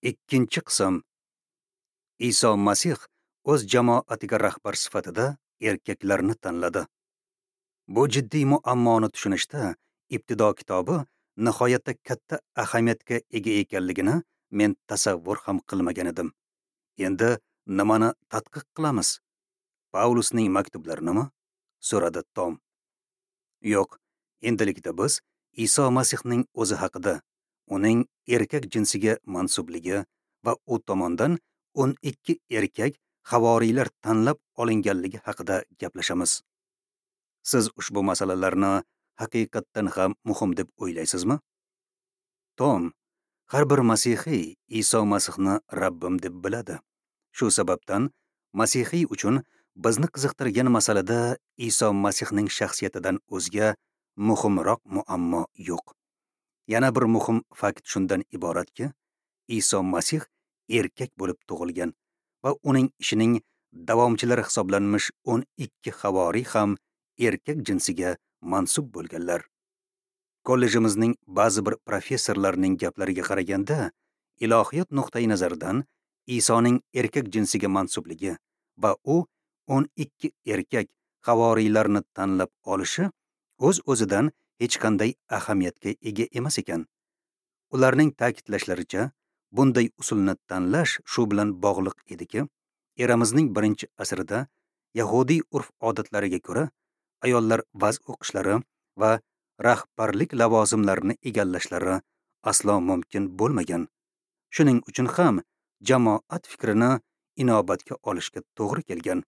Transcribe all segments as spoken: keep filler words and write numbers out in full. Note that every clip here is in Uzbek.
Ikkinchi qism. Iso Masih o'z jamoatiga rahbar sifatida erkaklarni tanladi. Bu jiddiy muammoni tushunishda Ibtido kitobi nihoyatda katta ahamiyatga ega ekanligini men tasavvur ham qilmagan edim. Endi nimani tadqiq qilamiz? Paulusning maktublarinimi? So'radi Tom. Yo'q, endilikda biz Iso Masihning o'zi haqida, uning erkak jinsiga mansubligi va u tomondan o'n ikki erkak havoriylar tanlab olinganligi haqida gaplashamiz. Siz ushbu masalalarni haqiqatdan ham muhim deb o'ylaysizmi? Tom, har bir masihiy Iso Masihni Rabbim deb biladi. Shu sababdan masihiy uchun bizni qiziqtirgan masalada Iso Masihning shaxsiyatidan o'zga muhimroq muammo yo'q. Yana bir muhim fakt shundan iboratki, Iso Masih erkak bo'lib tug'ilgan va uning ishining davomchilari hisoblanmish o'n ikki havoriy ham erkak jinsiga mansub bo'lganlar. Kollejimizning ba'zi bir professorlarining gaplariga qaraganda, ilohiyat nuqtai nazaridan Isoning erkak jinsiga mansubligi va u o'n ikki erkak havoriylarni tanlab olishi o'z-o'zidan hech qanday ahamiyatga ega emas ekan. Ularning ta'kidlashlaricha, bunday usulni tanlash shu bilan bog'liq ediki, eramizning birinchi asrida yahudiy urf-odatlariga ko'ra ayollar va'z o'qishlari va rahbarlik lavozimlarini egallashlari aslo mumkin bo'lmagan. Shuning uchun ham jamoat fikrini inobatga olishga to'g'ri kelgan.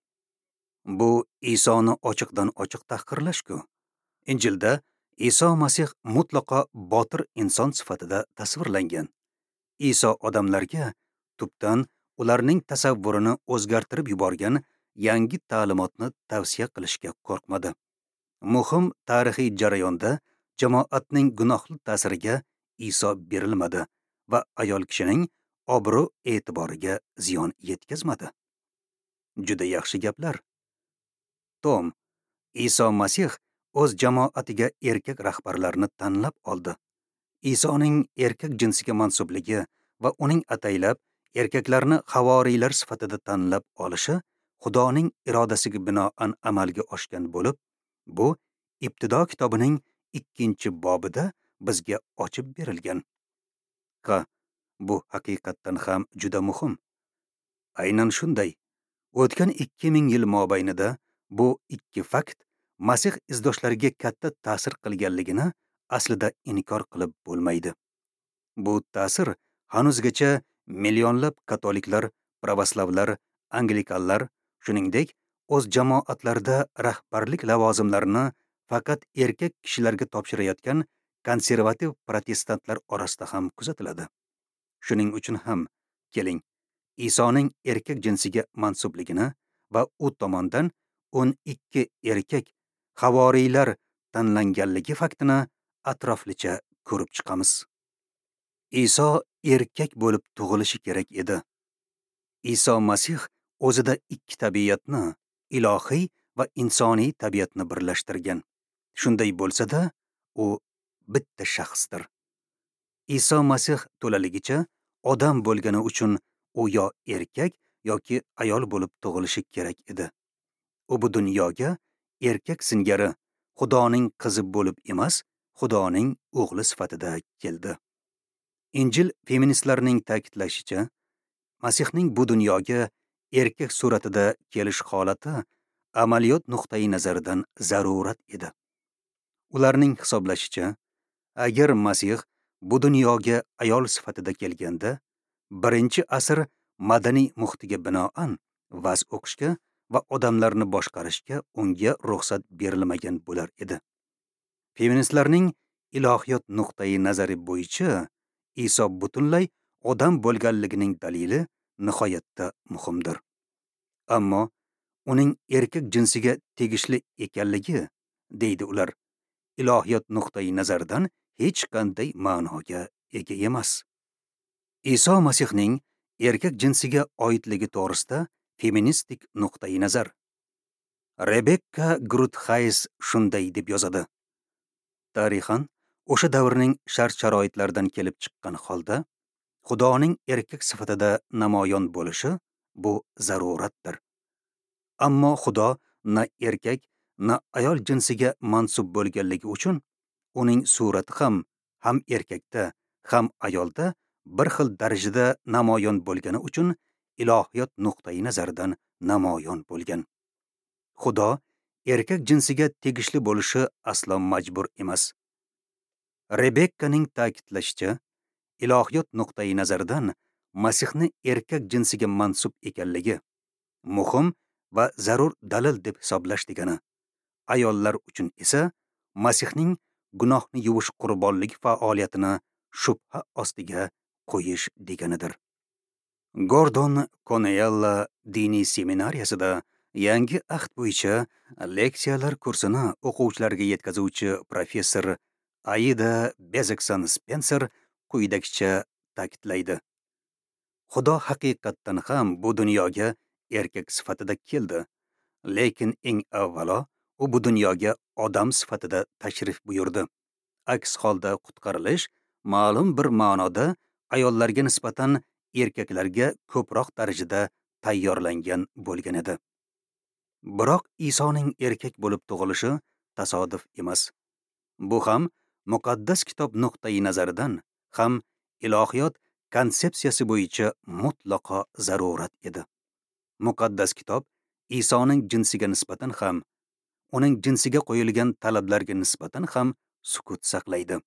Bu Isoni ochiqdan ochiq tahqirlash-ku. Injilda Iso Masih mutlaqo botir inson sifatida tasvirlangan. Iso odamlarga tubdan ularning tasavvurini o'zgartirib yuborgan yangi ta'limotni tavsiya qilishga qo'rqmadi. Muhim tarixiy jarayonda jamoatning gunohli ta'siriga Iso berilmadi va ayol kishining obro' e'tiboriga ziyon yetkazmadi. Juda yaxshi gaplar. Tom, Iso Masih o'z jamoatiga erkak rahbarlarni tanlab oldi. Isoning erkak jinsiga mansubligi va uning ataylab erkaklarni havoriylar sifatida tanlab olishi Xudoning irodasiga binoan amalga oshgan bo'lib, bu Ibtido kitobining ikkinchi bobida bizga ochib berilgan. Ha, bu haqiqatdan ham juda muhim. Aynan shunday. O'tgan ikki ming yil mobaynida bu ikki fakt Masih izdoshlariga katta ta'sir qilganligini aslida inkor qilib bo'lmaydi. Bu ta'sir hanuzgacha millionlab katoliklar, pravoslavlar, anglikanlar, shuningdek, o'z jamoatlarida rahbarlik lavozimlarini faqat erkak kishilarga topshirayotgan konservativ protestantlar orasida ham kuzatiladi. Shuning uchun ham keling, Isoning erkak jinsiga mansubligini va u tomondan o'n ikki erkak havoriylar tanlanganligi faktini atroflicha ko'rib chiqamiz. Iso erkak bo'lib tug'ilishi kerak edi. Iso Masih o'zida ikki tabiatni, ilohiy va insoniy tabiatni birlashtirgan. Shunday bo'lsa-da, u bitta shaxsdir. Iso Masih to'laligicha odam bo'lgani uchun u yo erkak yoki ayol bo'lib tug'ilishi kerak edi. U bu dunyoga erkak singari Xudoning qizi bo'lib emas, Xudoning o'g'li sifatida keldi. Injil feministlarining ta'kidlashicha, Masihning bu dunyoga erkak suratida kelish holati amaliyot nuqtai nazaridan zarurat edi. Ularning hisoblashicha, agar Masih bu dunyoga ayol sifatida kelganda, birinchi asr madaniy muhitiga binoan va'z o'qishga va odamlarni boshqarishga unga ruxsat berilmagan bo'lar edi. Feministlarning ilohiyot nuqtai nazari bo'yicha Iso butunlay odam bo'lganligining dalili nihoyatda muhimdir. Ammo uning erkak jinsiga tegishli ekanligi, deydi ular, ilohiyot nuqtai nazaridan hech qanday ma'noga ega emas. Iso Masihning erkak jinsiga oidligi to'g'risida feministik nuqtai nazar. Rebekka Gruthays shunday deb yozadi. Tarixan o'sha davrning shart-sharoitlaridan kelib chiqqan holda Xudoning erkak sifatida namoyon bo'lishi bu zaruratdir. Ammo Xudo na erkak, na ayol jinsiga mansub bo'lganligi uchun uning surati ham ham erkakda, ham ayolda bir xil darajada namoyon bo'lgani uchun ilohiyot nuqtai nazaridan namoyon bo'lgan. Xudo erkak jinsiga tegishli bo'lishi aslo majbur emas. Rebekkaning ta'kidlashicha, ilohiyot nuqtai nazaridan Masihni erkak jinsiga mansub ekanligi muhim va zarur dalil deb hisoblash degani. Ayollar uchun esa Masihning gunohni yuvish qurbonlik faoliyatini shubha ostiga qo'yish deganidir. Gordon Konella diniy seminariyasida Yangi ahd bo'yicha leksiyalar kursini o'quvchilarga yetkazuvchi professor Aida Bezekson Spenser quyidagicha ta'kidlaydi. Xudo haqiqatdan ham bu dunyoga erkak sifatida keldi, lekin eng avvalo u bu dunyoga odam sifatida tashrif buyurdi. Aks holda qutqarilish ma'lum bir ma'noda ayollarga nisbatan erkaklarga ko'proq darajada tayyorlangan bo'lgan edi. Biroq Isoning erkak bo'lib tug'ilishi tasodif emas. Bu ham muqaddas kitob nuqtai nazaridan, ham ilohiyot konsepsiyasi bo'yicha mutlaqo zarurat edi. Muqaddas kitob Isoning jinsiga nisbatan ham, uning jinsiga qo'yilgan talablarga nisbatan ham sukut saqlaydi.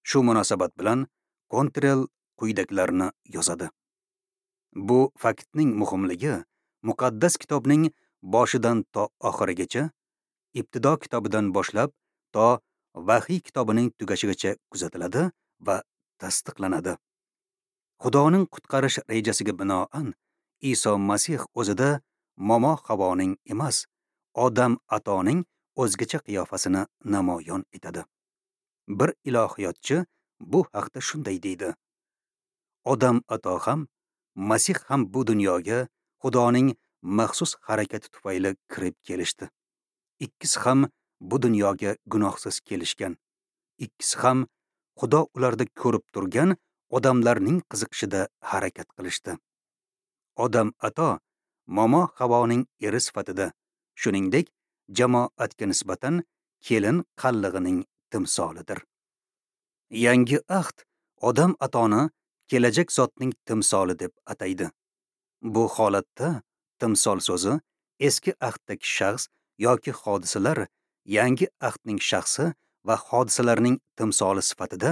Shu munosabat bilan Kontrel quyidagilarni yozadi. Bu faktning muhimligi muqaddas kitobning boshidan to oxirigacha, Ibtido kitobidan boshlab to Vahiy kitobining tugashigacha kuzatiladi va tasdiqlanadi. Xudoning qutqarish rejasiga binoan Iso Masih o'zida momo Havoning emas, Odam atoning o'zgacha qiyofasini namoyon etadi. Bir ilohiyotchi bu haqda shunday deydi: Odam ato ham, Masih ham bu dunyoga Xudoning maxsus harakati tufayli kirib kelishdi. Ikkisi ham bu dunyoga gunohsiz kelishgan. Ikkisi ham Xudo ularda ko'rib turgan odamlarning qiziqishida harakat qilishdi. Odam ato momo Havoning eri sifatida, shuningdek, jamoatga nisbatan kelin qallig'ining timsolidir. Yangi ahd Odam atoni kelajak zotning timsoli deb ataydi. Bu holatda timsol so'zi eski ahddagi shaxs yoki hodisalar yangi ahdning shaxsi va hodisalarning timsoli sifatida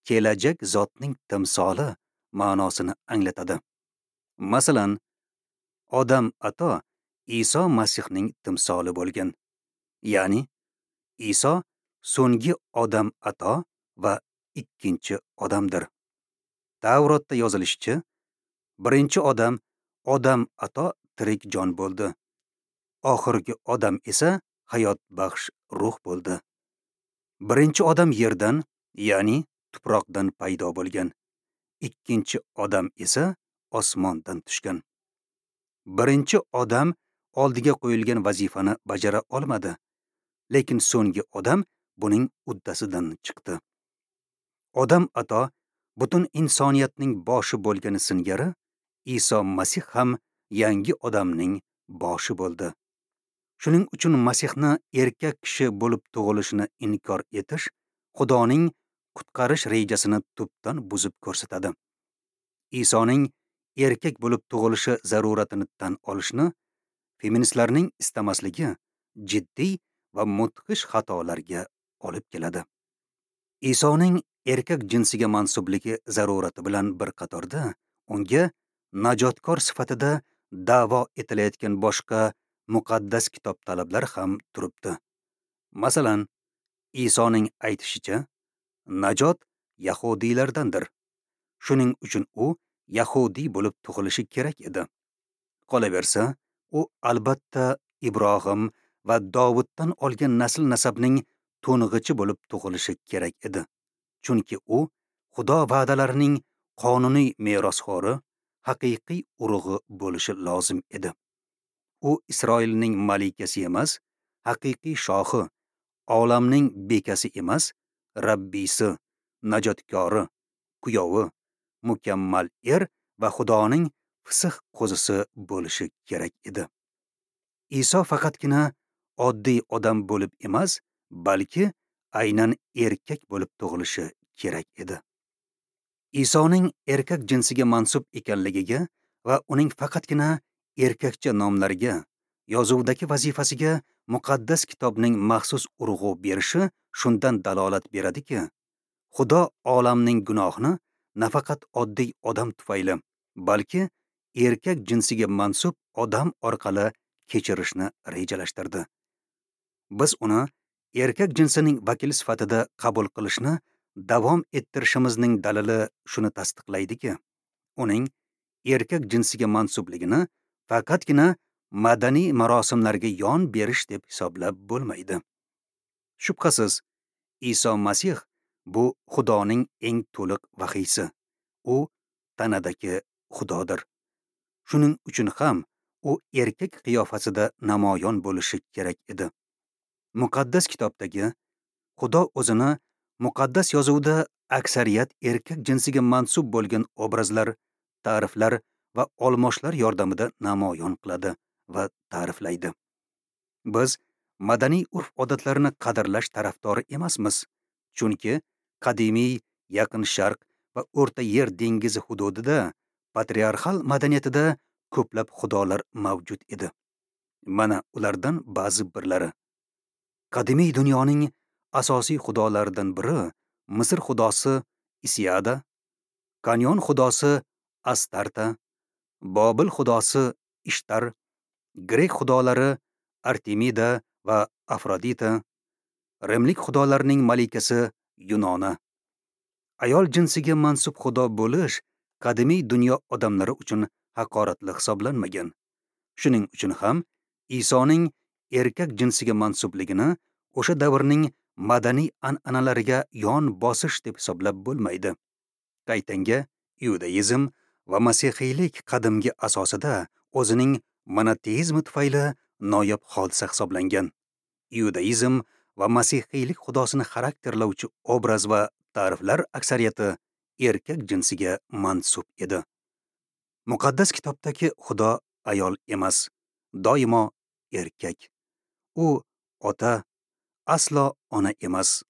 kelajak zotning timsoli ma'nosini anglatadi. Masalan, Odam ato Iso Masihning timsoli bo'lgan. Ya'ni Iso so'nggi Odam ato va ikkinchi odamdir. Tavrotda yozilishicha, birinchi odam Odam ato tirik jon bo'ldi. Oxirgi odam esa hayot baxsh ruh bo'ldi. Birinchi odam yerdan, ya'ni tuproqdan paydo bo'lgan. Ikkinchi odam esa osmondan tushgan. Birinchi odam oldiga qo'yilgan vazifani bajara olmadi, lekin so'nggi odam buning uddasidan chiqdi. Odam ato butun insoniyatning boshi bo'lgani singari Iso Masih ham yangi odamning boshi bo'ldi. Shuning uchun Masihni erkak kishi bo'lib tug'ilishini inkor etish Xudoning qutqarish rejasini tubdan buzib ko'rsatadi. Isoning erkak bo'lib tug'ilishi zaruratini tan olishni feministlarning istamasligi jiddiy va mudhish xatolarga olib keladi. Isoning erkak jinsiga mansubligi zarurati bilan bir qatorda unga najotkor sifatida da'vo etilayotgan boshqa muqaddas kitob talablari ham turibdi. Masalan, Isoning aytishicha, najot yahudiylardandir. Shuning uchun u yahudiy bo'lib tug'ilishi kerak edi. Qolaversa, u albatta Ibrohim va Dovuddan olgan nasl-nasabning to'ng'ichi bo'lib tug'ilishi kerak edi. Chunki u Xudo va'dalarining qonuniy merosxo'ri, haqiqiy urug'i bo'lishi lozim edi. U Isroilning malikasi emas, haqiqiy shohi, olamning bekasi emas, Rabbisi, najotkori, kuyovi, mukammal er va Xudoning fisih qo'zisi bo'lishi kerak edi. Iso faqatgina oddiy odam bo'lib emas, balki aynan erkak bo'lib tug'ilishi kerak edi. Isoning erkak jinsiga mansub ekanligiga va uning faqatgina erkakcha nomlarga, yozuvdagi vazifasiga muqaddas kitobning maxsus urg'u berishi shundan dalolat beradiki, Xudo olamning gunohini nafaqat oddiy odam tufayli, balki erkak jinsiga mansub odam orqali kechirishni rejalashtirdi. Biz uni erkak jinsining vakili sifatida qabul qilishni davom ettirishimizning dalili shuni tasdiqlaydiki, uning erkak jinsiga mansubligini faqatgina madaniy marosimlarga yon berish deb hisoblab bo'lmaydi. Shubhasiz, Iso Masih bu Xudoning eng to'liq vahiysi. U tanadagi Xudodir. Shuning uchun ham u erkak qiyofasida namoyon bo'lishi kerak edi. Muqaddas kitobdagi Xudo o'zini muqaddas yozuvda aksariyat erkak jinsiga mansub bo'lgan obrazlar, ta'riflar va olmoshlar yordamida namoyon qiladi va ta'riflaydi. Biz madaniy urf-odatlarni qadrlash tarafdori emasmiz, chunki qadimiy Yaqin Sharq va O'rta Yer dengizi hududida patriarxal madaniyatida ko'plab xudolar mavjud edi. Mana ulardan ba'zi birlari. Qadimiy dunyoning asosiy xudolaridan biri Misr xudosi Isiada, Kanyon xudosi Astarta, Bobil xudosi Ishtar, grek xudolari Artemida va Afrodita, Rimlik xudolarining malikasi Yunona. Ayol jinsiga mansub xudo bo'lish qadimiy dunyo odamlari uchun haqoratli hisoblanmagan. Shuning uchun ham Isoning erkak jinsiga mansubligini o'sha davrning madaniy an'analariga yon bosish deb hisoblab bo'lmaydi. Qaytanga iudaizm va masihiylik qadimgi asosida o'zining monoteizmi tufayli noyob hodisa hisoblangan. Iudaizm va masihiylik xudosini xarakterlovchi obraz va ta'riflar aksariyati erkak jinsiga mansub edi. Muqaddas kitobdagi Xudo ayol emas, doimo erkak. U ota, aslo ona emas.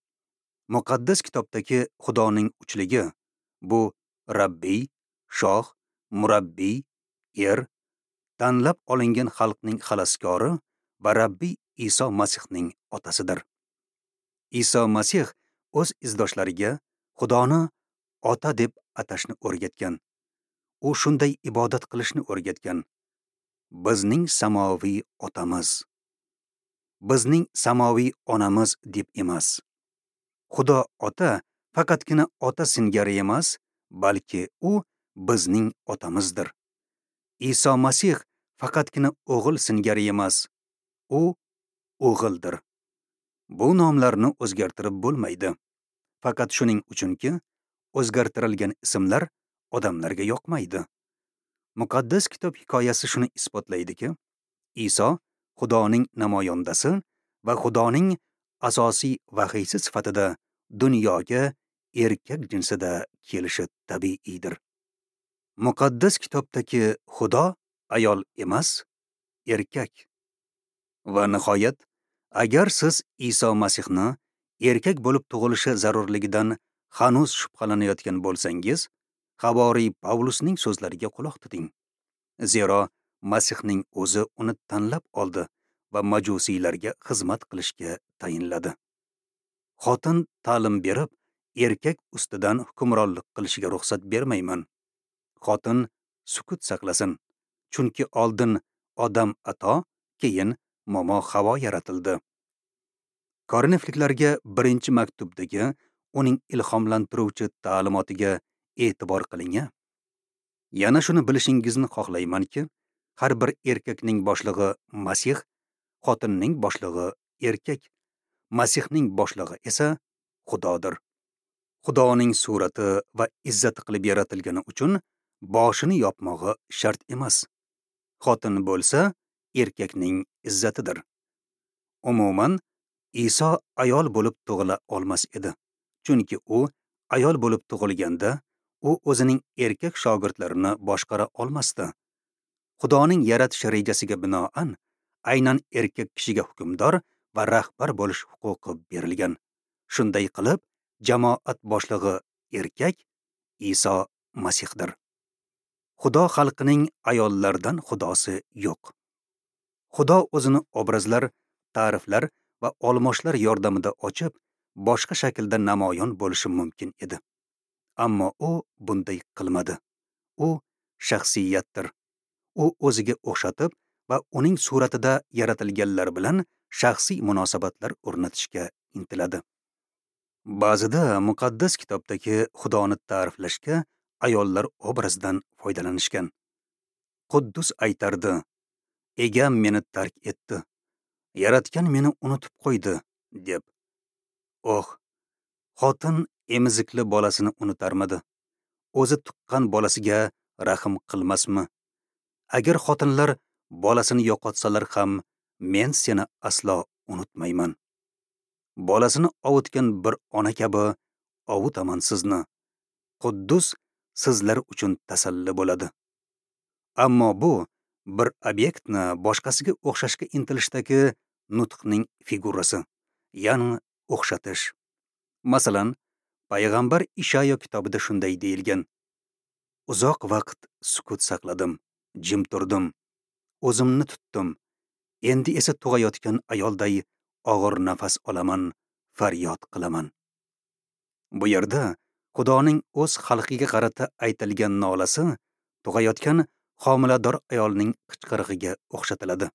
Muqaddas kitobdagi Xudoning uchligi bu Rabbiy, shoh, murabbiy, er, tanlab olingan xalqning xaloskori va Rabbiy Iso Masihning otasidir. Iso Masih o'z izdoshlariga Xudoni ota deb atashni o'rgatgan. U shunday ibodat qilishni o'rgatgan. Bizning samoviy otamiz, bizning samoviy onamiz deb emas. Xudo ota faqatgina ota singari emas, balki u bizning otamizdir. Iso Masih faqatgina o'g'il singari emas, u o'g'ildir. Bu nomlarni o'zgartirib bo'lmaydi. Faqat shuning uchunki, o'zgartirilgan ismlar odamlarga yoqmaydi. Muqaddas kitob hikoyasi shuni isbotlaydiki, Iso Xudoning namoyandasi va Xudoning asosiy vahiysi sifatida dunyoga erkak jinsida kelishi tabiiydir. Muqaddas kitobdagi Xudo ayol emas, erkak. Va nihoyat, agar siz Iso Masihni erkak bo'lib tug'ilishi zarurligidan hanuz shubhalanayotgan bo'lsangiz, Havoriy Pavlusning so'zlariga quloq tuting. Zero Masihning o'zi uni tanlab oldi va majusiylarga xizmat qilishga tayinladi. Xotin ta'lim berib, erkak ustidan hukmronlik qilishiga ruxsat bermayman. Xotin sukut saqlasin, chunki oldin Odam ato, keyin momo Havo yaratildi. Korinfliklarga birinchi maktubdagi uning ilhomlantiruvchi ta'limotiga e'tibor qiling. Yana shuni bilishingizni xohlaymanki, har bir erkakning boshlig'i Masih, xotinning boshlig'i erkak, Masihning boshlig'i esa Xudodir. Xudoning surati va izzati qilib yaratilgani uchun boshini yopmog'i shart emas. Xotin bo'lsa, erkakning izzatidir. Umuman, Iso ayol bo'lib tug'ila olmas edi. Chunki u ayol bo'lib tug'ilganda, U o'zining erkak shogirdlarini boshqara olmasdi. Xudoning yaratish rejasiga binoan aynan erkak kishiga hukmdor va rahbar bo'lish huquqi berilgan. Shunday qilib, jamoat boshlig'i erkak Iso Masihdir. Xudo xalqining ayollardan xudosi yo'q. Xudo o'zini obrazlar, ta'riflar va olmoshlar yordamida ochib, boshqa shaklda namoyon bo'lishi mumkin edi. Ammo u bunday qilmadi. U shaxsiyatdir. U o'ziga o'xshatib va uning suratida yaratilganlar bilan shaxsiy munosabatlar o'rnatishga intiladi. Ba'zida muqaddas kitobdagi Xudoni ta'riflashga ayollar obrazidan foydalanishgan. Quddus aytardi: "Egam meni tark etdi, Yaratgan meni unutib qo'ydi", deb. Oh, xotin emizikli bolasini unutarmidi? O'zi tuqqan bolasiga rahm qilmasmi? Agar xotinlar bolasini yo'qotsalar ham, men seni aslo unutmayman. Bolasini ovutgan bir ona kabi ovutaman sizni. Quddus sizlar uchun tasalli bo'ladi. Ammo bu bir obyektni boshqasiga o'xshashga intilishdagi nutqning figurasi, ya'ni o'xshatish. Masalan, payg'ambar Ishayo kitobida shunday deyilgan: Uzoq vaqt sukut saqladim, jim turdim, o'zimni tutdim. Endi esa tug'ayotgan ayolday og'ir nafas olaman, faryod qilaman. Bu yerda Xudoning o'z xalqiga qarata aytilgan nolasi tug'ayotgan homilador ayolning qichqirig'iga o'xshatiladi.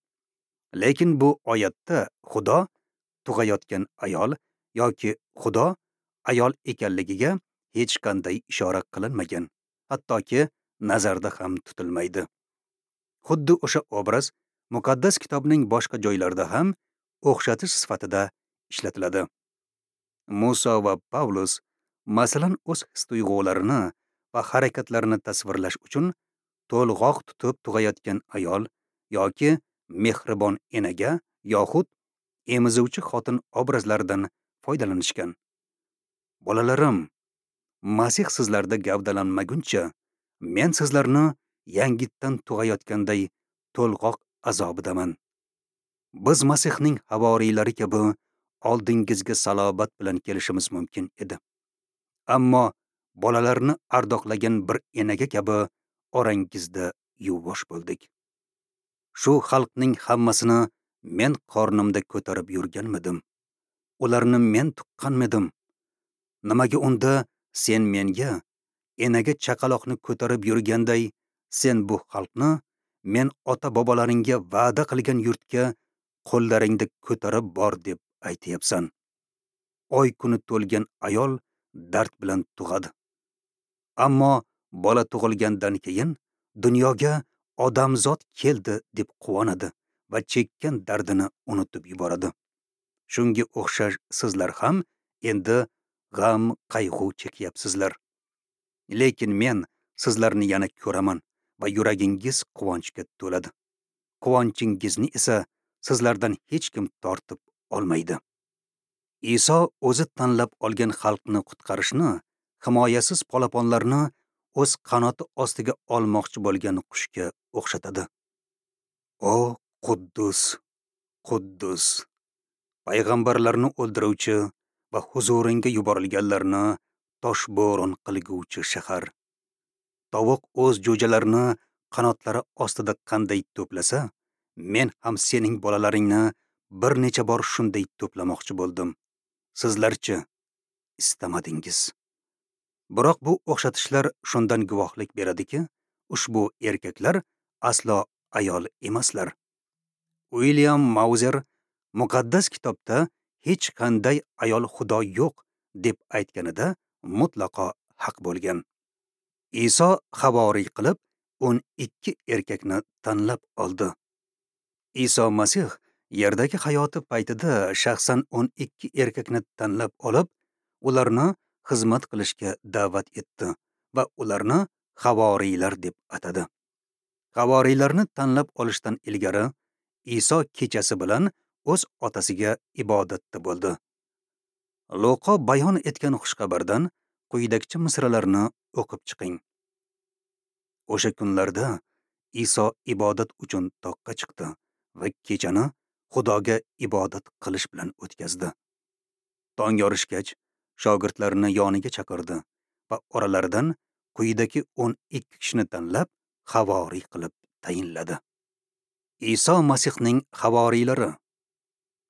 Lekin bu oyatda Xudo tug'ayotgan ayol yoki Xudo ayol ekanligiga hech qanday ishora qilinmagan, hattoki nazarda ham tutilmaydi. Xuddi o'sha obraz muqaddas kitobning boshqa joylarida ham o'xshatish sifatida ishlatiladi. Musa va Pavlus, masalan, o'z his-tuyg'ularini va harakatlarini tasvirlash uchun to'lg'oq tutib tug'ayotgan ayol yoki mehribon enaga yoxud emizuvchi xotin obrazlaridan foydalanishgan. Bolalarim, Masih sizlarda gavdalanmaguncha, men sizlarni yangitdan tug'ayotganday to'lg'oq azobidaman. Biz Masihning havoriylari kabi oldingizga salobat bilan kelishimiz mumkin edi. Ammo bolalarni ardoqlagan bir enaga kabi orangizda yuvosh bo'ldik. Shu xalqning hammasini men qornimda ko'tarib yurganmidim? Ularni men tuqqanmidim? Nimaga unda sen menga enaga chaqaloqni ko'tarib yurganday sen bu xalqni men ota-bobolaringga va'da qilgan yurtga qo'llaringda ko'tarib bor deb aytyapsan? Oy kuni to'lgan ayol dard bilan tug'adi. Ammo bola tug'ilgandan keyin dunyoga odamzod keldi deb quvonadi va chekkan dardini unutib yuboradi. Shunga o'xshash sizlar ham endi g'am qayg'u chekyapsizlar. Lekin men sizlarni yana ko'raman va yuragingiz quvonchga to'ladi. Quvonchingizni esa sizlardan hech kim tortib olmaydi. Iso o'zi tanlab olgan xalqni qutqarishni, himoyasiz polaponlarni o'z qanoti ostiga olmoqchi bo'lgan qushga o'xshatadi. O Quddus, Quddus, payg'ambarlarni o'ldiruvchi va huzuringga yuborilganlarni toshbo'ron qilguvchi shahar. Tovuq o'z jo'jalarini qanotlari ostida qanday to'plasa, men ham sening bolalaringni bir necha bor shunday to'plamoqchi bo'ldim. Sizlarchi istamadingiz. Biroq bu o'xshatishlar shundan guvohlik beradiki, ushbu erkaklar aslo ayol emaslar. Uilyam Mauzer muqaddas kitobda hech qanday ayol xudo yo'q deb aytganida mutlaqo haq bo'lgan. Iso havoriy qilib o'n ikki erkakni tanlab oldi. Iso Masih yerdagi hayoti paytida shaxsan o'n ikki erkakni tanlab olib, ularni xizmat qilishga da'vat etdi va ularni havoriylar deb atadi. Havoriylarni tanlab olishdan ilgari Iso kechasi bilan o'z otasiga ibodatda bo'ldi. Luqo bayon etgan xushxabardan quyidagicha misralarni o'qib chiqing. O'sha kunlarda Iso ibodat uchun toqqa chiqdi va kechani Xudoga ibodat qilish bilan o'tkazdi. Tong yorishgach, shogirdlarini yoniga chaqirdi va oralaridan quyidagi o'n ikki kishini tanlab havoriy qilib tayinladi. Iso Masihning havoriylari.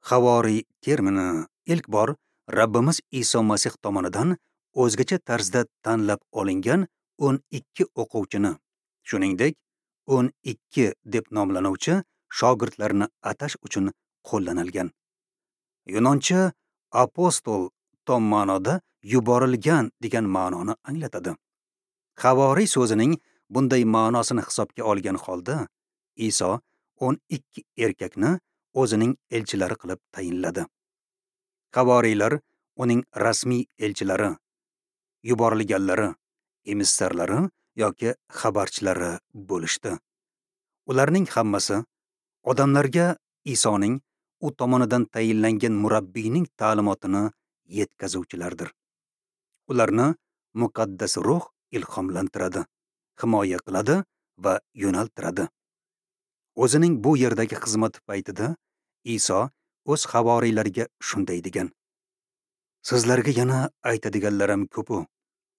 Havoriy termini ilk bor Rabbimiz Iso Masih tomonidan o'zgacha tarzda tanlab olingan o'n ikki o'quvchini, shuningdek o'n ikki deb nomlanuvchi shogirdlarni atash uchun qo'llanilgan. Yunoncha apostol tom ma'noda yuborilgan degan ma'noni anglatadi. Havoriy so'zining bunday ma'nosini hisobga olgan holda Iso o'n ikki erkakni o'zining elchilari qilib tayinladi. Havoriylar uning rasmiy elchilari, yuborilganlari, emissarlari yoki xabarchilari bo'lishdi. Ularning hammasi odamlarga Isoning u tomonidan tayinlangan murabbiyning ta'limotini yetkazuvchilardir. Ularni muqaddas ruh ilhomlantiradi, himoya qiladi va yo'naltiradi. O'zining bu yerdagi xizmati paytida Iso o'z havoriylariga shunday degan: Sizlarga yana aytadiganlarim ko'p-u,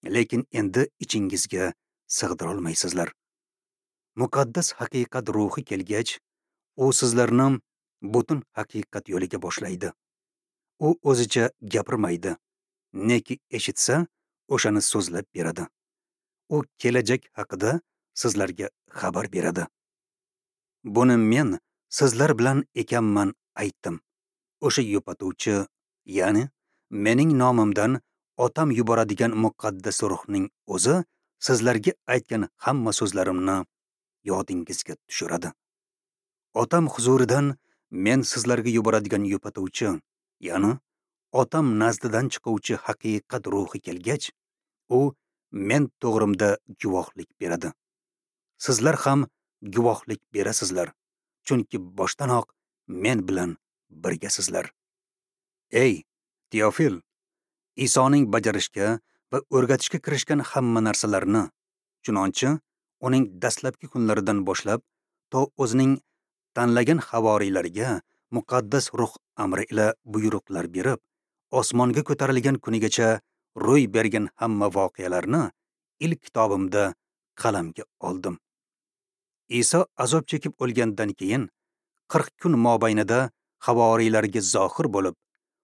lekin endi ichingizga sig'dira olmaysizlar. Muqaddas haqiqat ruhi kelgach, u sizlarni butun haqiqat yo'liga boshlaydi. U o'zicha gapirmaydi, neki eshitsa, o'shani so'zlab beradi. U kelajak haqida sizlarga xabar beradi. Buni men sizlar bilan ekanman aytdim. O'sha yupatuvchi, ya'ni mening nomimdan Otam yuboradigan muqaddas ruhning o'zi sizlarga aytgan hamma so'zlarimni yodingizga tushiradi. Otam huzuridan men sizlarga yuboradigan yupatuvchi, ya'ni Otam nazdidan chiquvchi haqiqat ruhi kelgach, u men to'g'rimda guvohlik beradi. Sizlar ham guvohlik berasizlar, chunki boshdanoq men bilan birgasizlar. Ey Teofil, Isoning bajarishga va o'rgatishga kirishgan hamma narsalarni, chunonchi uning dastlabki kunlaridan boshlab to o'zining tanlagan havoriylariga muqaddas ruh amri ila buyruqlar berib, osmonga ko'tarilgan kunigacha ro'y bergan hamma voqealarni ilk kitobimda qalamga oldim. Iso azob chekib o'lgandan keyin qirq kun mobaynida havoriylarga zohir bo'lib,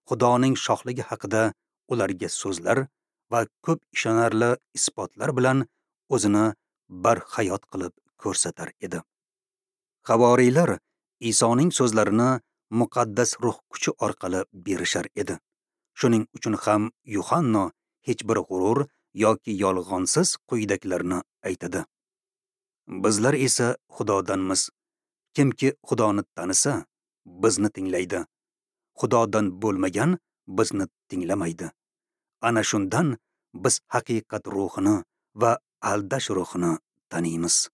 Xudoning shohligi haqida ularga so'zlar va ko'p ishonarli isbotlar bilan o'zini barhayot qilib ko'rsatar edi. Havoriylar Isoning so'zlarini muqaddas ruh kuchi orqali berishar edi. Shuning uchun ham Yuhanno hech bir g'urur yoki yolg'onsiz quyidagilarni aytadi: Bizlar esa Xudodanmiz. Kimki Xudoni tanisa, bizni tinglaydi. Xudodan bo'lmagan bizni tinglamaydi. Ana shundan biz haqiqat ruhini va aldash ruhini taniymiz.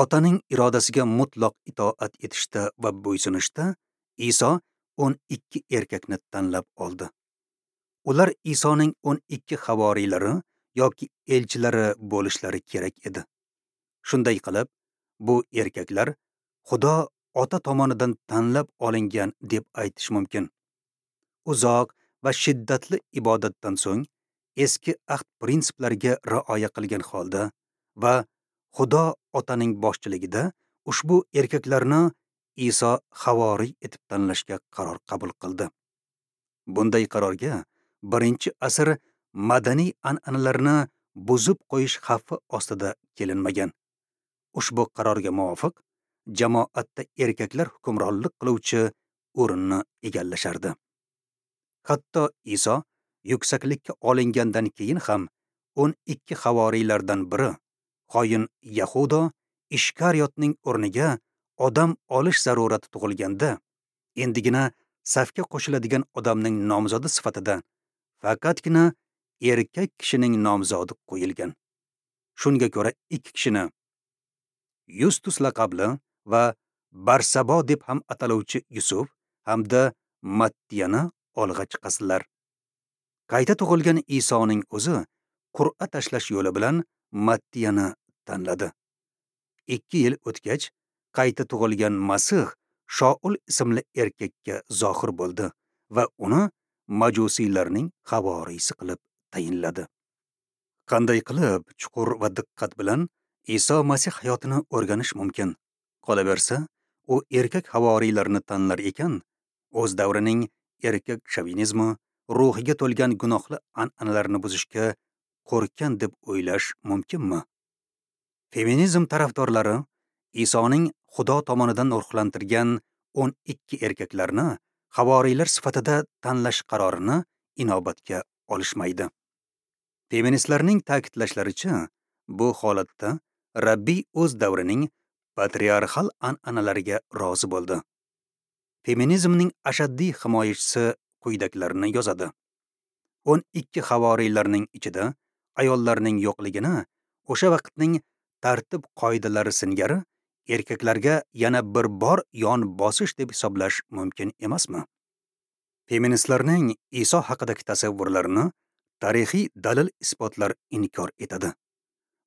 Otaning irodasiga mutlaq itoat etishda va bo'ysunishda Iso o'n ikki erkakni tanlab oldi. Ular Isoning o'n ikki havoriylari yoki elchilari bo'lishlari kerak edi. Shunday qilib, bu erkaklar Xudo Ota tomonidan tanlab olingan deb aytish mumkin. Uzoq va shiddatli ibodatdan so'ng eski ahd prinsiplariga rioya qilgan holda va Xudo Otaning boshchiligida ushbu erkaklarni Iso havoriy etib tanlashga qaror qabul qildi. Bunday qarorga birinchi asr madaniy an'analarni buzib qo'yish xavfi ostida kelinmagan. Ushbu qarorga muvofiq jamoatda erkaklar hukmronlik qiluvchi o'rinni egallashardi. Hatto Iso yuksaklikka olingandan keyin ham o'n ikki havoriylardan biri, xoin Yahudo Ishkariyotning o'rniga odam olish zarurati tug'ilganda, endigina safga qo'shiladigan odamning nomzodi sifatida faqatgina erkak kishining nomzodi qo'yilgan. Shunga ko'ra ikki kishini Yustus laqabli va Barsabo deb ham ataluvchi Yusuf hamda Mattiyani olg'a chiqasilar. Qayta tug'ilgan Isoning o'zi qur'a tashlash yo'li bilan Mattiyani tanladi. Ikki yil o'tgach, qayta tug'ilgan Masih Shoul ismli erkakka zohir bo'ldi va uni majusiylarning havoriysi qilib tayinladi. Qanday qilib chuqur va diqqat bilan Iso Masih hayotini o'rganish mumkin? Qolaversa, u erkak havoriylarni tanlar ekan, o'z davrining erkak shovinizmi, ruhiga to'lgan gunohli an'analarni buzishga qo'rqgan deb o'ylash mumkinmi? Feminizm tarafdorlari Isoning Xudo tomonidan ruhlantirgan o'n ikki erkaklarni havoriylar sifatida tanlash qarorini inobatga olishmaydi. Feministlarning ta'kidlashlaricha, bu holatda Rabbiy o'z davrining patriarxal an'analariga rozi bo'ldi. Feminizmning ashaddiy himoyachisi quyidagilarni yozadi. o'n ikki havoriylarning ichida ayollarning yo'qligini o'sha vaqtning tartib qoidalari singari erkaklarga yana bir bor yon bosish deb hisoblash mumkin emasmi? Feministlarning Iso haqidagi tasavvurlarini tarixiy dalil isbotlar inkor etadi.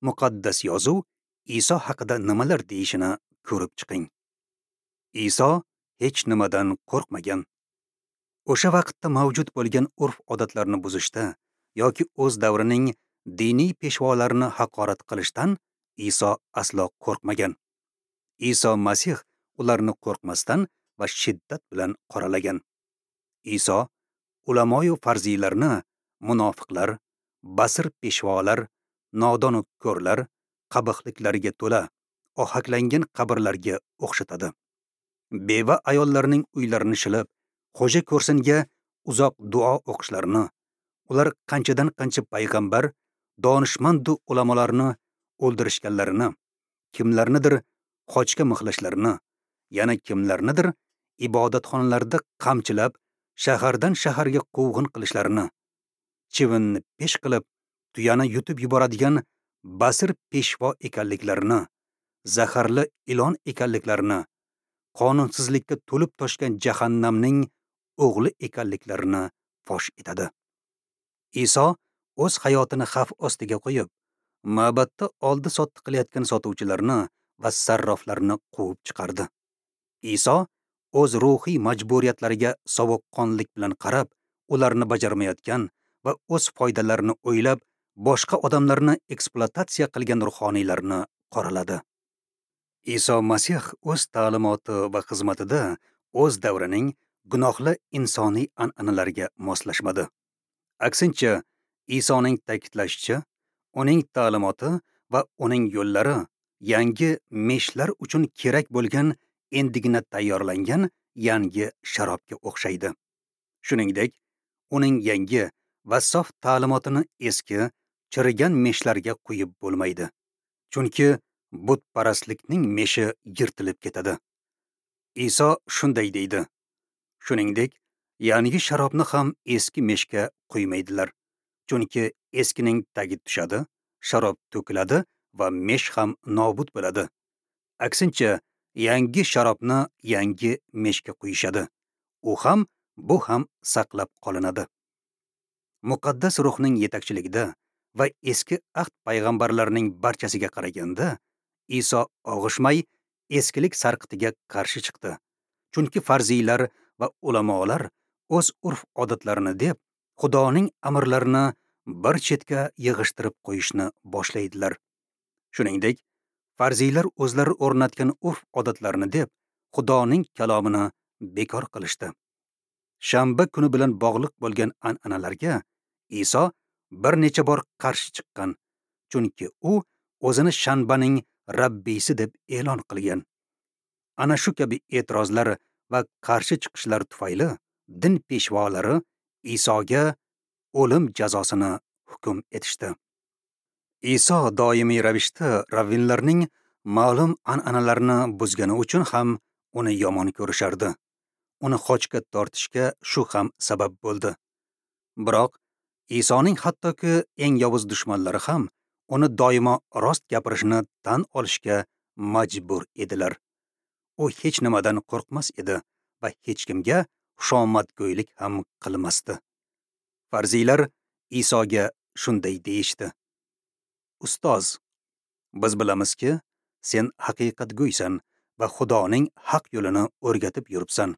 Muqaddas yozuv Iso haqida nimalar deyishini ko'rib chiqing. Iso hech nimadan qo'rqmagan. O'sha vaqtda mavjud bo'lgan urf-odatlarni buzishda yoki o'z davrining diniy peshvolarini haqorat qilishdan Iso aslo qo'rqmagan. Iso Masih ularni qo'rqmasdan va shiddat bilan qoralagan. Iso ulamoyu farziylarni munofiqlar, basir peshvolar, nodon ko'rlar, qabihliklarga to'la, ohaklangan qabrlarga o'xshatadi. Beva ayollarning uylarini shilib, xo'ja ko'rsinga uzoq duo o'qishlarini, ular qanchadan qancha payg'ambar, donishmandu ulamolarni o'ldirishganlarini, kimlarnidir xochga mixlashlarini, yana kimlarnidir ibodatxonalarda qamchilab, shahardan shaharga quvg'in qilishlarini, chivinni pesh qilib, tuyani yutib yuboradigan basir peshvo ekanliklarini, zaharli ilon ekanliklarini, qonunsizlikka to'lib toshgan jahannamning o'g'li ekanliklarini fosh etadi. Iso o'z hayotini xavf ostiga qo'yib, ma'batda oldi-sotdi qilayotgan sotuvchilarni va sarroflarni quvib chiqardi. Iso o'z ruhiy majburiyatlariga sovuqqonlik bilan qarab, ularni bajarmayotgan va o'z foydalarini o'ylab, boshqa odamlarni ekspluatatsiya qilgan ruhoniylarni qoraladi. Iso Masih o'z ta'limoti va xizmatida o'z davrining gunohli insoniy an'analariga moslashmadi. Aksincha, Isoning ta'kidlashicha, uning ta'limoti va uning yo'llari yangi meshlar uchun kerak bo'lgan endigina tayyorlangan yangi sharobga o'xshaydi. Shuningdek, uning yangi va sof ta'limotini eski, chirigan meshlarga quyib bo'lmaydi. Chunki butparastlikning meshi yirtilib ketadi. Iso shunday deydi: Shuningdek, yangi sharobni ham eski meshga quymaydilar. Chunki eskining tagi tushadi, sharob to'kiladi va mesh ham nobud bo'ladi. Aksincha, yangi sharobni yangi meshga quyishadi. U ham, bu ham saqlab qolinadi. Muqaddas ruhning yetakchiligida va eski ahd payg'ambarlarining barchasiga qaraganda Iso og'ishmay eskilik sarqitiga qarshi chiqdi. Chunki farziylar va ulamolar o'z urf-odatlarini deb Xudoning amrlarini bir chetga yig'ishtirib qo'yishni boshlaydilar. Shuningdek, farziylar o'zlari o'rnatgan urf-odatlarini deb Xudoning kalomini bekor qilishdi. Shanba kuni bilan bog'liq bo'lgan an'analarga Iso bir necha bor qarshi chiqqan, chunki u o'zini shanbaning Rabbisi deb e'lon qilgan. Ana shu kabi e'tirozlar va qarshi chiqishlar tufayli din peshvolari Isoga o'lim jazosini hukm etishdi. Iso doimiy ravishda ravvinlarning ma'lum an'analarini buzgani uchun ham uni yomon ko'rishardi. Uni xochga tortishga shu ham sabab bo'ldi. Biroq Isoning hattoki eng yovuz dushmanlari ham uni doimo rost gapirishini tan olishga majbur edilar. U hech nimadan qo'rqmas edi va hech kimga xushomadgo'ylik ham qilmasdi. Farziylar Isoga shunday deyishdi: Ustoz, biz bilamizki, sen haqiqatgo'ysan va Xudoning haq yo'lini o'rgatib yuribsan.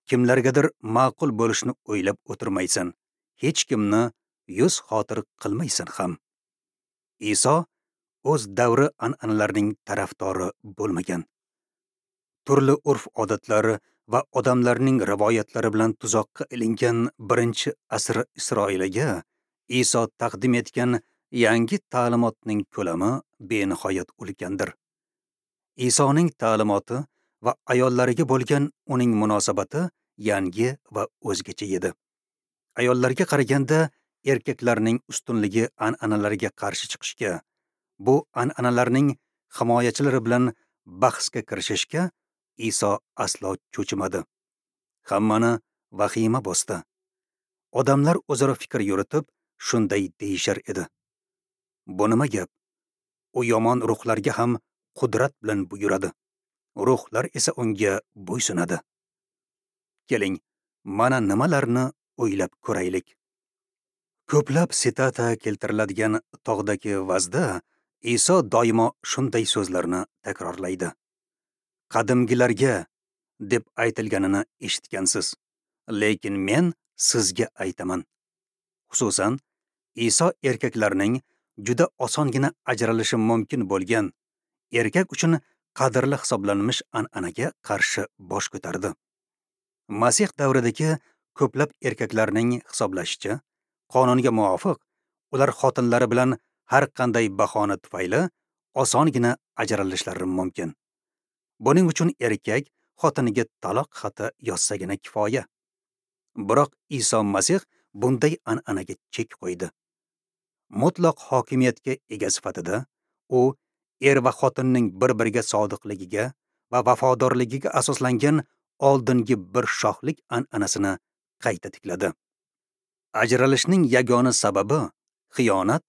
Kimlargadir ma'qul bo'lishni o'ylab o'tirmaysan, hech kimni yuz xotir qilmaysan ham. Iso o'z davri an'analarining tarafdori bo'lmagan. Turli urf-odatlari va odamlarning rivoyatlari bilan tuzoqqa ilingan birinchi asr Isroiliga Iso taqdim etgan yangi ta'limotning ko'lami benihoyat ulkandir. Isoning ta'limoti va ayollariga bo'lgan uning munosabati yangi va o'zgacha edi. Ayollarga qaraganda erkaklarning ustunligi an'analarga qarshi chiqishga, bu an'analarning himoyachilari bilan bahsga kirishishga Iso aslo cho'chimadi. Hammani vahima bosdi. Odamlar o'zaro fikr yuritib, shunday deyishar edi: Bu nima gap? U yomon ruhlarga ham qudrat bilan buyuradi. Ruhlar esa unga bo'ysunadi. Keling, mana nimalarni o'ylab ko'raylik. Ko'plab sitata keltiriladigan tog'dagi vazda Iso doimo shunday so'zlarni takrorlaydi. Qadimgilarga deb aytilganini eshitgansiz, lekin men sizga aytaman. Xususan, Iso erkaklarning juda osongina ajralishi mumkin bo'lgan, erkak uchun qadrli hisoblanmish an'anaga qarshi bosh ko'tardi. Masih davridagi ko'plab erkaklarning hisoblashicha, qonunga muvofiq ular xotinlari bilan har qanday bahona tufayli osongina ajralishlari mumkin. Buning uchun erkak xotiniga taloq xati yozsagina kifoya. Biroq Iso Masih bunday an'anaga chek qo'ydi. Mutlaq hokimiyatga ega sifatida u er va xotinning bir-biriga sodiqligiga va vafodorligiga asoslangan oldingi bir shohlik an'anasini qayta tikladi. Ajralishning yagona sababi xiyonat,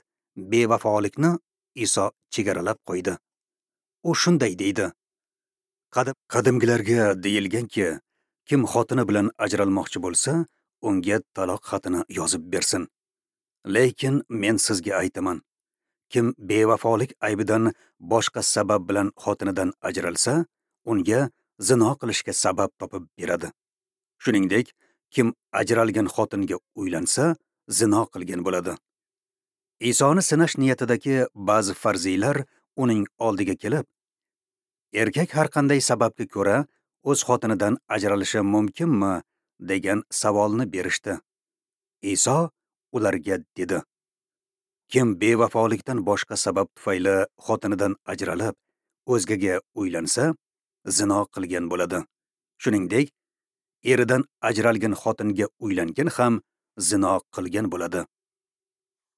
bevafolikni Iso chegaralab qo'ydi. U shunday deydi: Qadimgilarga deyilganki, kim xotini bilan ajralmoqchi bo'lsa, unga taloq xatini yozib bersin. Lekin men sizga aytaman, kim bevafolik aybidan boshqa sabab bilan xotinidan ajralsa, unga zino qilishga sabab topib beradi. Shuningdek, kim ajralgan xotinga uylansa, zino qilgan bo'ladi. Isoni sinash niyatidagi ba'zi farziylar uning oldiga kelib, erkak har qanday sababga ko'ra o'z xotinidan ajralishi mumkinmi degan savolni berishdi. Iso ularga dedi: Kim bevafolikdan boshqa sabab tufayli xotinidan ajralib, o'zgaga uylansa, zino qilgan bo'ladi. Shuningdek, eridan ajralgan xotinga uylangan ham zino qilgan bo'ladi.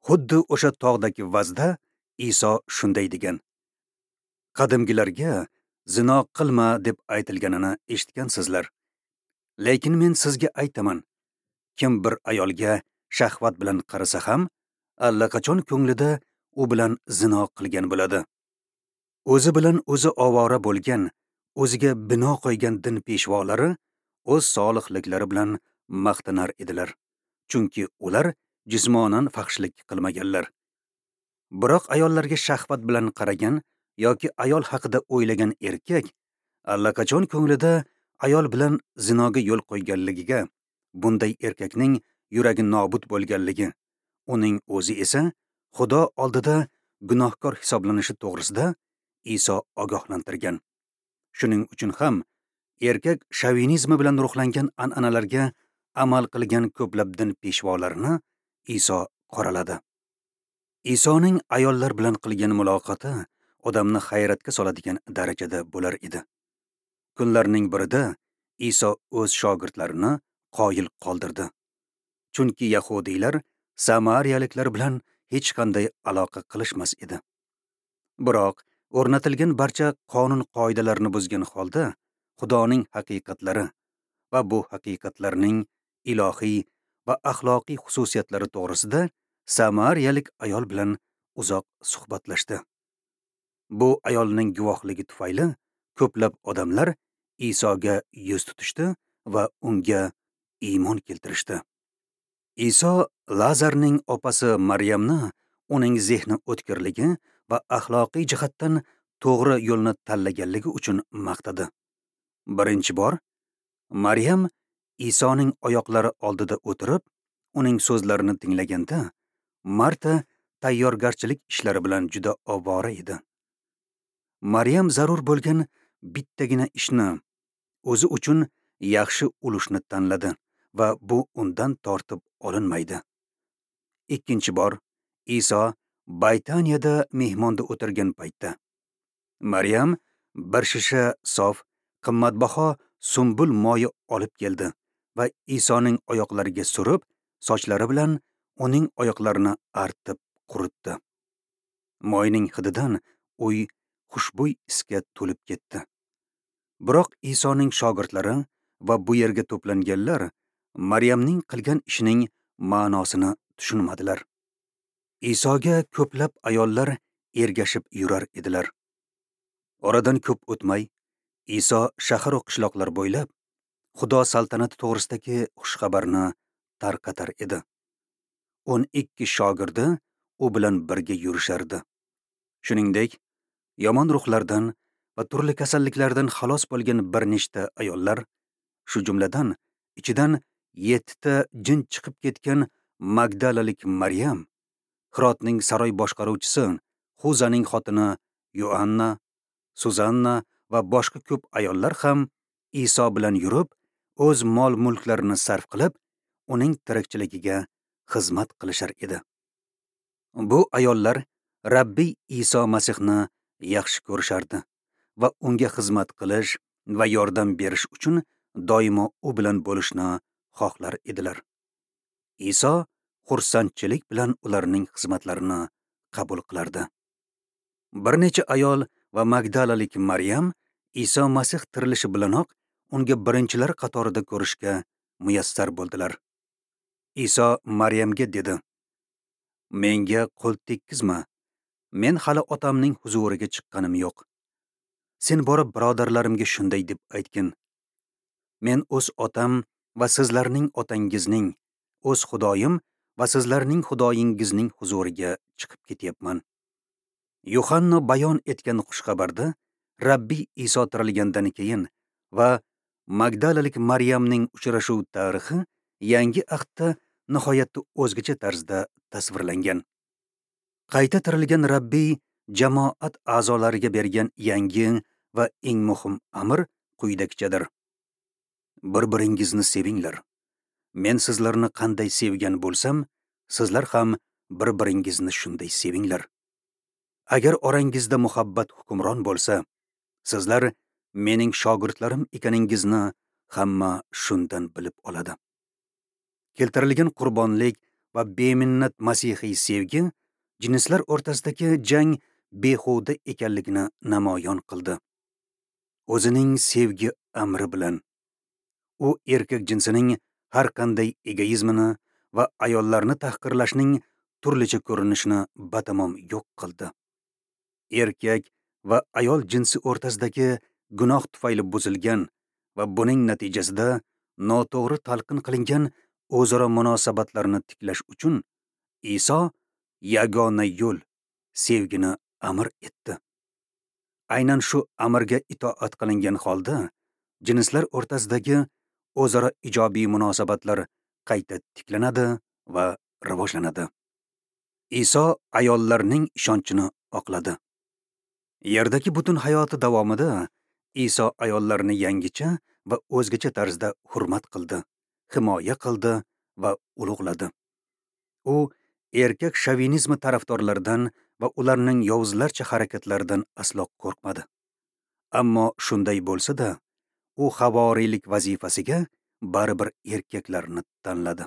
Xuddi o'sha tog'dagi vazda Iso shunday degan: Qadimgilarga zino qilma deb aytilganini eshitgansizlar. Lekin men sizga aytaman, kim bir ayolga shahvat bilan qarasa ham, allaqachon ko'nglida u bilan zino qilgan bo'ladi. O'zi bilan o'zi ovora bo'lgan, o'ziga bino qo'ygan din peshvolari o'z solihliklari bilan maqtanar edilar, chunki ular jismonan fahshlik qilmaganlar. Biroq ayollarga shahvat bilan qaragan yoki ayol haqida o'ylagan erkak allaqachon ko'nglida ayol bilan zinoga yo'l qo'yganligiga, bunday erkakning yuragi nobud bo'lganligi, uning o'zi esa Xudo oldida gunohkor hisoblanishi to'g'risida Iso ogohlantirgan. Shuning uchun ham erkak shovinizmi bilan ruhlangan an'analarga amal qilgan ko'plab din peshvolarini Iso qoraladi. Isoning ayollar bilan qilgan muloqoti odamni hayratga soladigan darajada bo'lar edi. Kunlarning birida Iso o'z shogirdlarini qoyil qoldirdi. Chunki yahudiylar samariyaliklar bilan hech qanday aloqa qilishmas edi. Biroq o'rnatilgan barcha qonun-qoidalarni buzgan holda Xudoning haqiqatlari va bu haqiqatlarning ilohiy va axloqiy xususiyatlari to'g'risida samariyalik ayol bilan uzoq suhbatlashdi. Bu ayolning guvohligi tufayli ko'plab odamlar Isoga yuz tutishdi va unga iymon keltirishdi. Iso Lazarning opasi Maryamni uning zehni o'tkirligi va axloqiy jihatdan to'g'ri yo'lni tanlaganligi uchun maqtadi. Birinchi bor Maryam Isoning oyoqlari oldida o'tirib, uning so'zlarini tinglaganda, Marta tayyorgarchilik ishlari bilan juda ovora edi. Maryam zarur bo'lgan bittagina ishni, o'zi uchun yaxshi ulushni tanladi va bu undan tortib olinmaydi. Ikkinchi bor Iso Baytaniyada mehmonda o'tirgan paytda Maryam bir shisha sof, qimmatbaho sumbul moyi olib keldi va Isoning oyoqlariga surib, sochlari bilan uning oyoqlarini artib quritdi. Moyning hididan uy xushbo'y isga to'lib ketdi. Biroq Isoning shogirdlari va bu yerga to'planganlar Maryamning qilgan ishining ma'nosini tushunmadilar. Isoga ko'plab ayollar ergashib yurar edilar. Oradan ko'p o'tmay, Iso shahar va qishloqlar bo'ylab Xudo saltanati to'g'risidagi xushxabarni tarqatar edi. o'n ikki shogirdi u bilan birga yurishardi. Shuningdek, yomon ruhlardan va turli kasalliklardan xalos bo'lgan bir nechta ayollar, shu jumladan ichidan yettita jin chiqib ketgan Magdalalik Maryam, Hirotning saroy boshqaruvchisi Xuzaning xotini Yoanna, Suzanna va boshqa ko'p ayollar ham Iso bilan yurib, o'z mol-mulklarini sarf qilib, uning tirikchiligiga xizmat qilishar edi. Bu ayollar Rabbiy Iso Masihni yaxshi ko'rishardi va unga xizmat qilish va yordam berish uchun doimo u bilan bo'lishni xohlar edilar. Iso xursandchilik bilan ularning xizmatlarini qabul qilardi. Bir necha ayol va Magdalalik Maryam Iso Masih tirilishi bilanoq unga birinchilar qatorida ko'rishga muyassar bo'ldilar. Iso Maryamga dedi: "Menga qo'l tekkizma. Men hali otamning huzuriga chiqqanim yo'q. Sen borib birodarlarimga shunday deb aytgin: Men o'z otam va sizlarning otangizning, o'z Xudoyim va sizlarning Xudoyingizning huzuriga chiqib ketyapman." Yuhanna bayon etgan xushxabarda Rabbiy Iso tirilgandan keyin va Magdalalik Maryamning uchrashuv tarixi yangi ahdda nihoyatda o'zgacha tarzda tasvirlangan. Qayta tirilgan Rabbiy jamoat a'zolariga bergan yangi va eng muhim amr quyidagichadir: Bir-biringizni sevinglar. Men sizlarni qanday sevgan bo'lsam, sizlar ham bir-biringizni shunday sevinglar. Agar orangizda muhabbat hukmron bo'lsa, sizlar mening shogirdlarim ekaningizni hamma shundan bilib oladi. Keltirilgan qurbonlik va beminnat masihiy sevgi jinslar o'rtasidagi jang behuda ekanligini namoyon qildi. O'zining sevgi amri bilan u erkak jinsining har qanday egoizmini va ayollarni tahqirlashning turlicha ko'rinishini batamom yo'q qildi. Erkak va ayol jinsi o'rtasidagi gunoh tufayli buzilgan va buning natijasida noto'g'ri talqin qilingan o'zaro munosabatlarni tiklash uchun Iso yagona yo'l sevgini amr etdi. Aynan shu amrga itoat qilingan holda jinslar o'rtasidagi o'zaro ijobiy munosabatlar qayta tiklanadi va rivojlanadi. Iso ayollarning ishonchini oqladi. Yerdagi butun hayoti davomida Iso ayollarni yangicha va o'zgacha tarzda hurmat qildi, himoya qildi va ulug'ladi. U erkak shovinizmi tarafdorlaridan va ularning yovuzlarcha harakatlaridan aslo qo'rqmadi. Ammo shunday bo'lsa-da, u havoriylik vazifasiga baribir erkaklarni tanladi.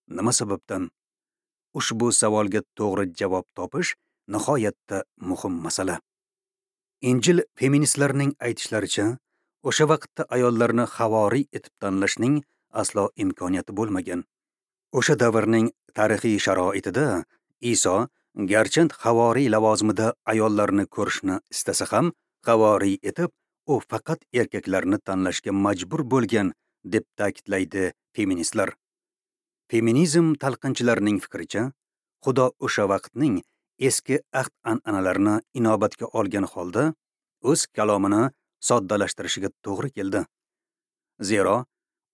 Nima sababdan? Ushbu savolga to'g'ri javob topish nihoyatda muhim masala. Injil feministlarining aytishlaricha, o'sha vaqtda ayollarni havoriy etib tanlashning aslo imkoniyati bo'lmagan. O'sha davrning tarixiy sharoitida Iso garchand havoriy lavozimida ayollarni ko'rishni istasa ham, havoriy etib u faqat erkaklarni tanlashga majbur bo'lgan, deb ta'kidlaydi feministlar. Feminizm talqinchilarining fikricha, Xudo o'sha vaqtning eski ahd an'analarini inobatga olgan holda o'z kalomini soddalashtirishiga to'g'ri keldi. Zero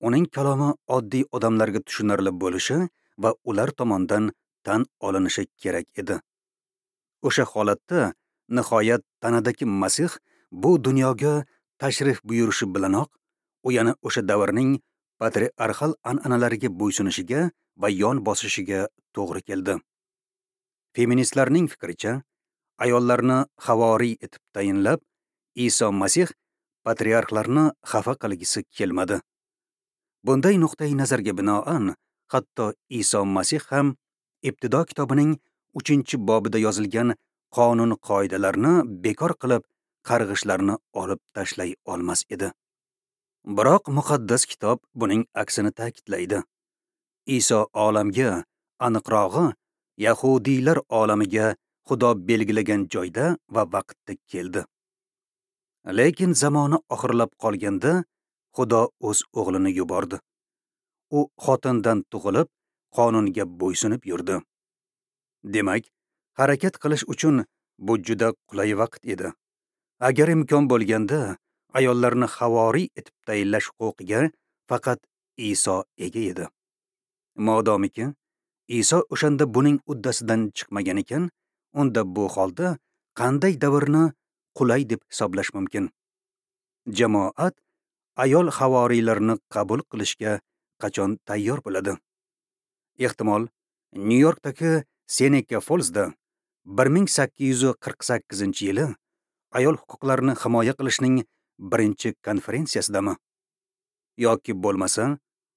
uning kalomi oddiy odamlarga tushunarli bo'lishi va ular tomonidan tan olinishi kerak edi. O'sha holatda nihoyat tanadagi Masih bu dunyoga tashrif buyurishi bilanoq u yana o'sha davrning patriarxal an'analariga bo'ysunishiga va yon bosishiga to'g'ri keldi. Feministlarning fikricha, ayollarni havoriy etib tayinlab, Iso Masih patriarxlarni xafa qilgisi kelmadi. Bunday nuqtai nazarga binoan, hatto Iso Masih ham Ibtido kitobining uchinchi bobida yozilgan qonun qoidalarni bekor qilib, qarg'ishlarni olib tashlay olmas edi. Biroq muqaddas kitob buning aksini ta'kidlaydi. Iso olamga, aniqrog'i, yahudiylar olamiga Xudo belgilagan joyda va vaqtda keldi. Lekin zamoni oxirlab qolganda Xudo o'z o'g'lini yubordi. U xotindan tug'ilib, qonunga bo'ysunib yurdi. Demak, harakat qilish uchun bu juda qulay vaqt edi. Agar imkon bo'lganda, ayollarni havoriy etib tayinlash huquqiga faqat Iso ega edi. Modomiki Iso o'shanda buning uddasidan chiqmagan ekan, unda bu holda qanday davrni qulay deb hisoblash mumkin? Jamoat ayol havoriylarini qabul qilishga qachon tayyor bo'ladi? Ehtimol, Nyu-Yorkdagi Seneca Fallsda bir ming sakkiz yuz qirq sakkizinchi yili ayol huquqlarini himoya qilishning birinchi konferensiyasidami? Yoki bo'lmasa,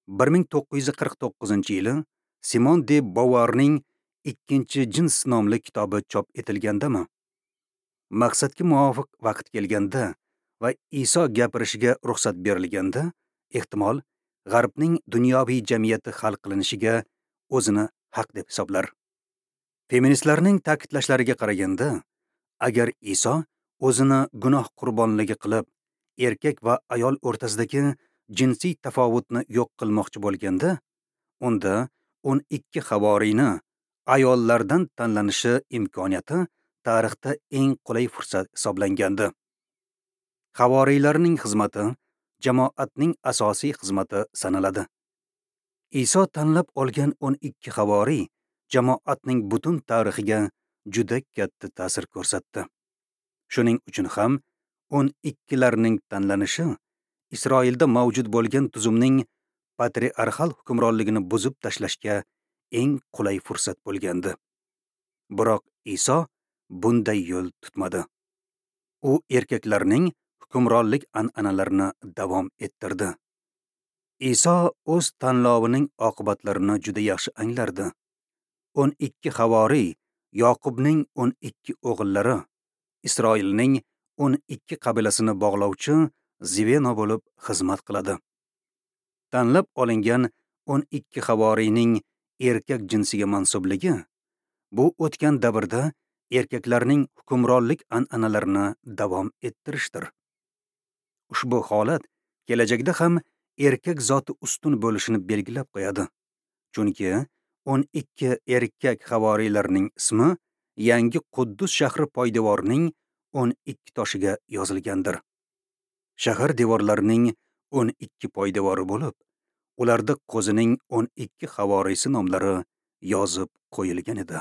bir ming to'qqiz yuz qirq to'qqizinchi yili Simon de Beauvoirning Ikkinchi jins nomli kitobi chop etilgandami? Maqsadga muvofiq vaqt kelganda va Iso gapirishiga ruxsat berilganda, ehtimol G'arbning dunyoviy jamiyati hal qilinishiga o'zini haq deb hisoblar. Feministlarning ta'kidlashlariga qaraganda, agar Iso o'zini gunoh qurbonligi qilib, erkak va ayol o'rtasidagi jinsiy tafovutni yo'q qilmoqchi bo'lganda, unda o'n ikki havoriyni ayollardan tanlanishi imkoniyati tarixda eng qulay fursat hisoblangandi. Havoriylarning xizmati jamoatning asosiy xizmati sanaladi. Iso tanlab olgan o'n ikki havoriy jamoatning butun tarixiga juda katta ta'sir ko'rsatdi. Shuning uchun ham o'n ikkilarning tanlanishi Isroilda mavjud bo'lgan tuzumning patriarxal hukmronligini buzib tashlashga eng qulay fursat bo'lgandi. Biroq Iso bunday yo'l tutmadi. U erkaklarning hukmronlik an'analarini davom ettirdi. Iso o'z tanlovining oqibatlarini juda yaxshi anglardi. o'n ikki havoriy Yoqubning o'n ikki o'g'illari, Isroilning o'n ikki qabilasini bog'lovchi zveno bo'lib xizmat qiladi. Tanlab olingan o'n ikki havoriyning erkak jinsiga mansubligi bu o'tgan davrda erkaklarning hukmronlik an'analarini davom ettirishdir. Ushbu holat kelajakda ham erkak zoti ustun bo'lishini belgilab qo'yadi. Chunki o'n ikki erkak havoriylarning ismi yangi Quddus shahri poydevorining o'n ikki toshiga yozilgandir. Shahar devorlarining o'n ikki poydevori bo'lib, ularda qo'zining o'n ikki havoriysi nomlari yozib qo'yilgan edi.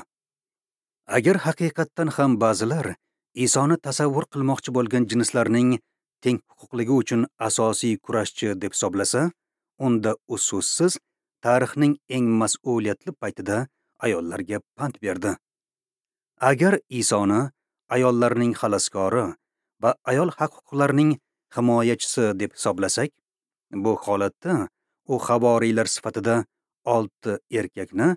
Agar haqiqatdan ham ba'zilar Isoni tasavvur qilmoqchi bo'lgan jinslarning teng huquqligi uchun asosiy kurashchi deb hisoblasa, unda u so'zsiz tarixning eng mas'uliyatli paytida ayollarga pand berdi. Agar Isoni ayollarning xaloskori va ayol haq-huquqlarining himoyachisi deb hisoblasak, bu holatda u havoriylar sifatida olti erkakni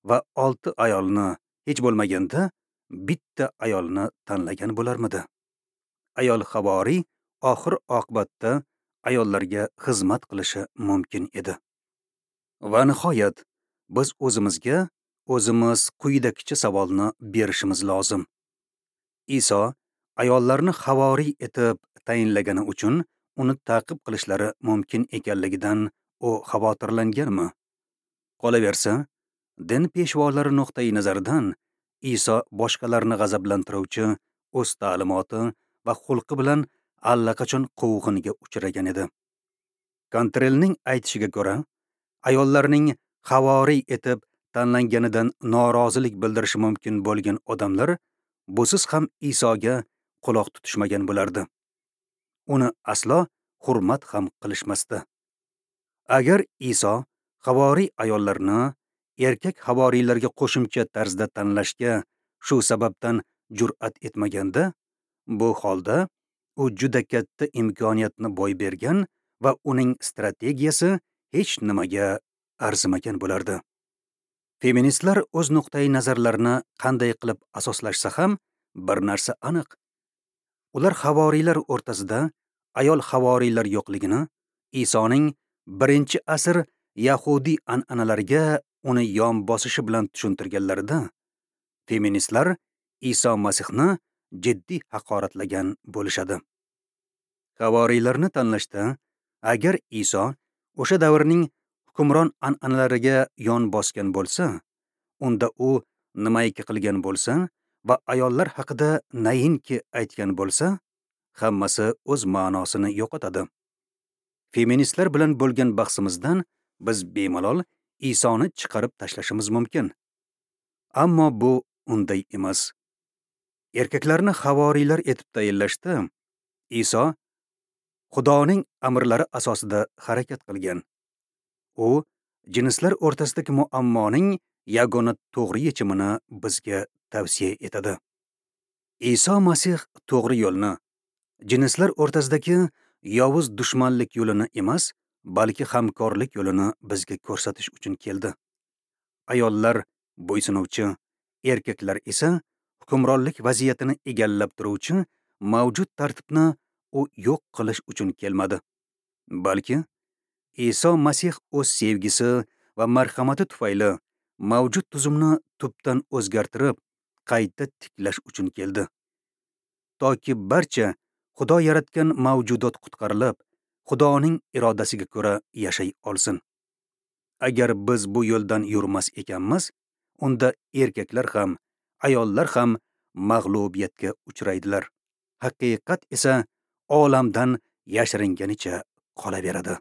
va olti ayolni, hech bo'lmaganda bitta ayolni tanlagan bo'larmidi? Ayol havoriy oxir oqibatda ayollarga xizmat qilishi mumkin edi. Va nihoyat biz o'zimizga o'zimiz quyidagicha savolni berishimiz lozim. Iso ayollarni havoriy etib tayinlagani uchun uni ta'qib qilishlari mumkin ekanligidan u xavotirlanganmi? Qolaversa, din peshvolari nuqtai nazaridan Iso boshqalarni g'azablantiruvchi o'z ta'limoti va xulqi bilan allaqachon quvg'inga uchragan edi. Kontrelning aytishiga ko'ra, ayollarning havoriy etib tanlanganidan norozilik bildirishi mumkin bo'lgan odamlar busiz ham Isoga quloq tutishmagan bo'lardi. Uni aslo hurmat ham qilishmasdi. Agar Iso havoriy ayollarni erkak havoriylarga qo'shimcha tarzda tanlashga shu sababdan jur'at etmaganda, bu holda u juda katta imkoniyatni boy bergan va uning strategiyasi hech nimaga arzimagan bo'lardi. Feministlar o'z nuqtai nazarlarini qanday qilib asoslashsa ham bir narsa aniq. Ular havoriylar o'rtasida ayol havoriylar yo'qligini, Isoning birinchi asr yahudiy an'analariga uni yon bosishi bilan tushuntirganlarida, feministlar Iso Masihni jiddiy haqoratlagan bo'lishadi. Havoriylarni tanlashda agar Iso o'sha davrning hukmron an'analariga yon bosgan bo'lsa, unda u nimaiki qilgan bo'lsa va ayollar haqida nainki aytgan bo'lsa, hammasi o'z ma'nosini yo'qotadi. Feministlar bilan bo'lgan bahsimizdan biz bemalol Isoni chiqarib tashlashimiz mumkin. Ammo bu unday emas. Erkaklarni havoriylar etib tayinlashda Iso Xudoning amrlari asosida harakat qilgan. U jinslar o'rtasidagi muammoning yagona to'g'ri yechimini bizga tavsiya etadi. Iso Masih to'g'ri yo'lni, jinslar o'rtasidagi yovuz dushmanlik yo'lini emas, balki hamkorlik yo'lini bizga ko'rsatish uchun keldi. Ayollar bo'ysunuvchi, erkaklar esa hukmronlik vaziyatini egallab turuvchi mavjud tartibni u yo'q qilish uchun kelmadi. Balki Iso Masih o'z sevgisi va marhamati tufayli mavjud tuzumni tubdan o'zgartirib, qayta tiklash uchun keldi. Toki barcha Xudo yaratgan mavjudot qutqarilib, Xudoning irodasiga ko'ra yashay olsin. Agar biz bu yo'ldan yurmas ekanmiz, unda erkaklar ham, ayollar ham mag'lubiyatga uchraydilar. Haqiqat esa olamdan yashiringanicha qolaveradi.